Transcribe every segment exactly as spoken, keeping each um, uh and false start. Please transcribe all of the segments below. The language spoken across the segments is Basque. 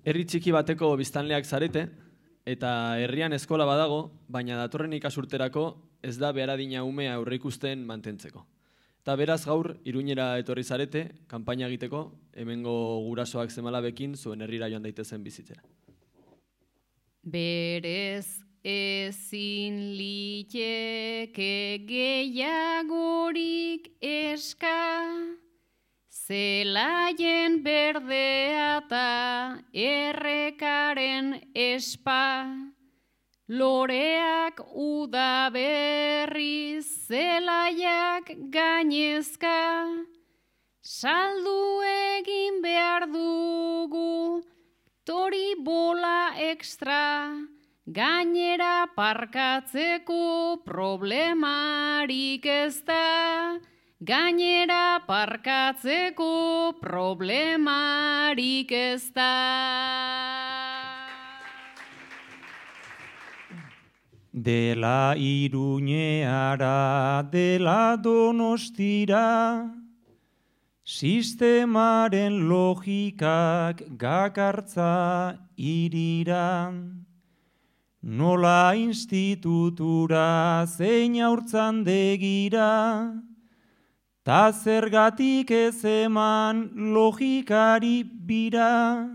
Herri txiki bateko biztanleak zarete, eta herrian eskola badago, baina datorren ikasurterako ez da behar adina umea aurreikusten mantentzeko. Eta beraz gaur, Iruñera etorri zarete, kanpaina egiteko, hemengo gurasoak zemalabekin zuen herrira joan daitezen bizitzera. Berez ezin liteke gehiagorik eska, zelaien berdea eta errekaren espa, loreak udaberri zelaiak gainezka, saldu egin behar dugu tori bola ekstra, gainera parkatzeko problemarik ez da, gainera parkatzeko problemarik ez da. Dela Iruñeara, dela Donostira, sistemaren logikak gakartza irira. Nola institutura zein haurtzandegira, ta zergatik ez eman logikari bira,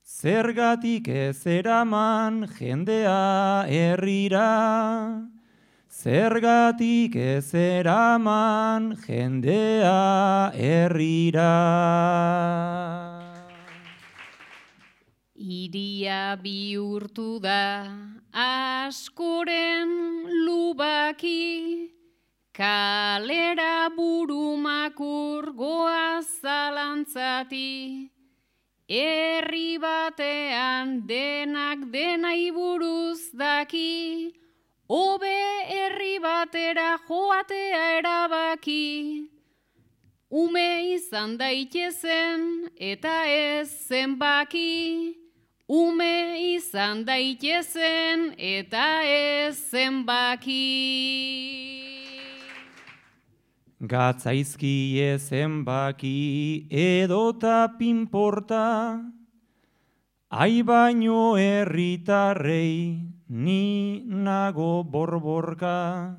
zergatik ez eraman jendea herrira, zergatik ez eraman jendea herrira. Iria bihurtu da askoren lubaki, kalera burumakur goaz zalantzati, herri batean denak denai buruz daki, hobe herri batera joatea erabaki. Ume izan daitezen eta ez zenbaki, ume izan daitezen eta ez zenbaki. Gatzaizkie zenbaki edota pinporta, ai baino herritarrei ni nago borborka.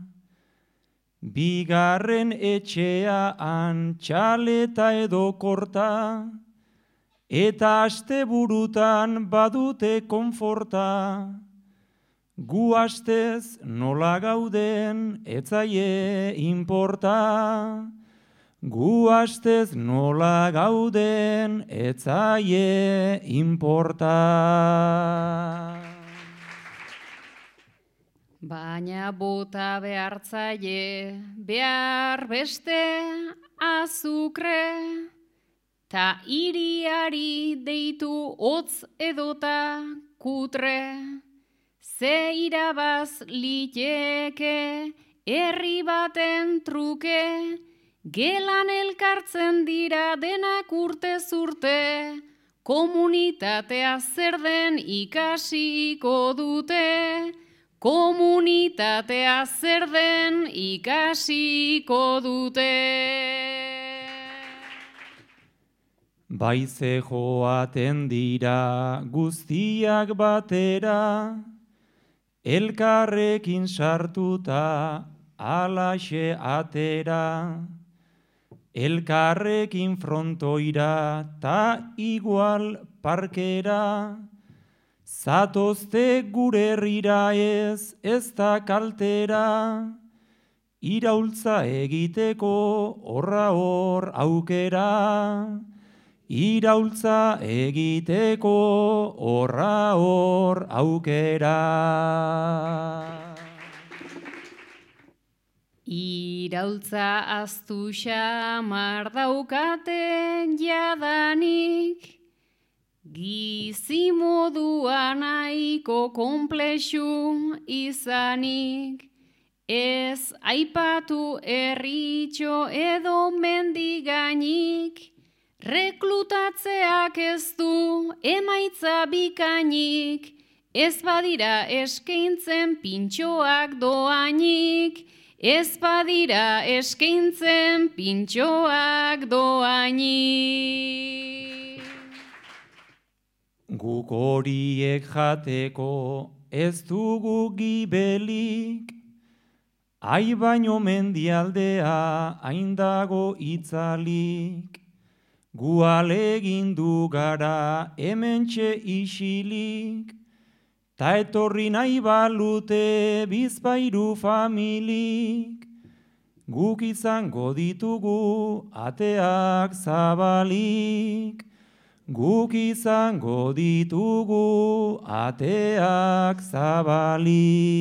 Bigarren etxea antxaleta edo korta, eta asteburutan badute konforta. Gu astez nola gauden etzaie inporta, gu astez nola gauden etzaie inporta. Baina bota behartzaile behar beste azukre, ta iriari deitu hotz edota kutre, ze irabaz liteke herri baten truke, gelan elkartzen dira denak urte zurte, komunitatea zer den ikasiko dute, komunitatea zer den ikasiko dute. Baize joaten dira guztiak batera, elkarrekin sartuta alaxe atera. Elkarrekin frontoira ta igual parkera, zatozte gure herrira ez, ez da kaltera, iraultza egiteko horra hor aukera, iraultza egiteko horra hor aukera. Iraultza aztu xamar daukaten jadanik, gizi modua nahiko konplexu izanik, ez aipatu herritxo edo mendigainik, reklutatzeak ez du emaitza bikainik, ez badira eskaintzen pintxoak doainik, ez badira eskaintzen pintxoak doainik. Guk horiek jateko ez dugu gibelik, ai baino mendialdea hain dago itzalik, gu alegindu gara hementxe isilik, ta etorri nahi balute bizpairu familik, guk izango ditugu ateak zabalik, guk izango ditugu ateak zabalik.